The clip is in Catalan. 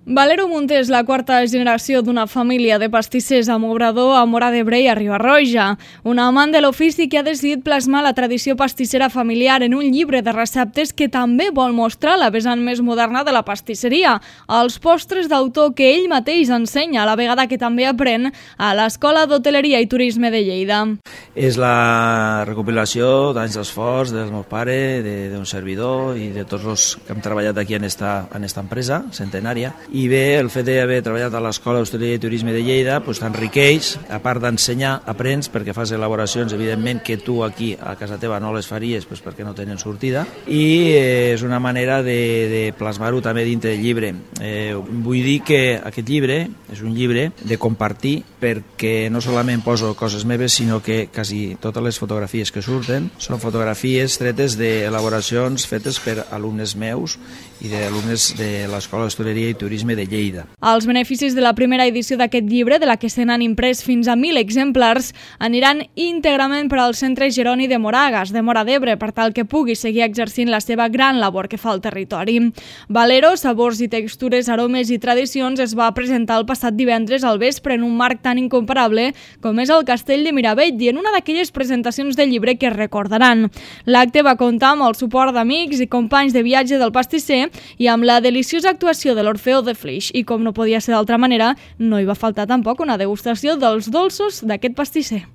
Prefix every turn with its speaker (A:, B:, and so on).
A: Valero Munté és la quarta generació d'una família de pastissers amb obrador a Móra d'Ebre i a Riba-roja. Un amant de l'ofici que ha decidit plasmar la tradició pastissera familiar en un llibre de receptes que també vol mostrar la vessant més moderna de la pastisseria, els postres d'autor que ell mateix ensenya, a la vegada que també aprèn a l'Escola d'Hoteleria i Turisme de Lleida.
B: És la recopilació d'anys d'esforç del meu pare, d'un servidor i de tots els que hem treballat aquí en esta empresa centenària. I bé, el fet d'haver treballat a l'Escola d'Hostaleria i Turisme de Lleida t'enriqueix, a part d'ensenyar, aprens perquè fas elaboracions, evidentment, que tu aquí a casa teva no les faries perquè no tenen sortida, i és una manera de plasmar-ho també dintre del llibre. Vull dir que aquest llibre és un llibre de compartir, perquè no solament poso coses meves, sinó que quasi totes les fotografies que surten són fotografies tretes d'elaboracions fetes per alumnes meus i d'alumnes de l'Escola d'Hostaleria i Turisme de Lleida.
A: Els beneficis de la primera edició d'aquest llibre, de la que se n'han imprès fins a 1.000 exemplars, aniran íntegrament per al Centre Jeroni de Moragas, de Móra d'Ebre, per tal que pugui seguir exercint la seva gran labor que fa al territori. Valero, sabors i textures, aromes i tradicions es va presentar el passat divendres al vespre en un marc tan incomparable com és el Castell de Miravell i en una d'aquelles presentacions del llibre que recordaran. L'acte va comptar amb el suport d'amics i companys de viatge del pastisser i amb la deliciosa actuació de l'Orfeó de Flix. I com no podia ser d'altra manera, no hi va faltar tampoc una degustació dels dolços d'aquest pastisser.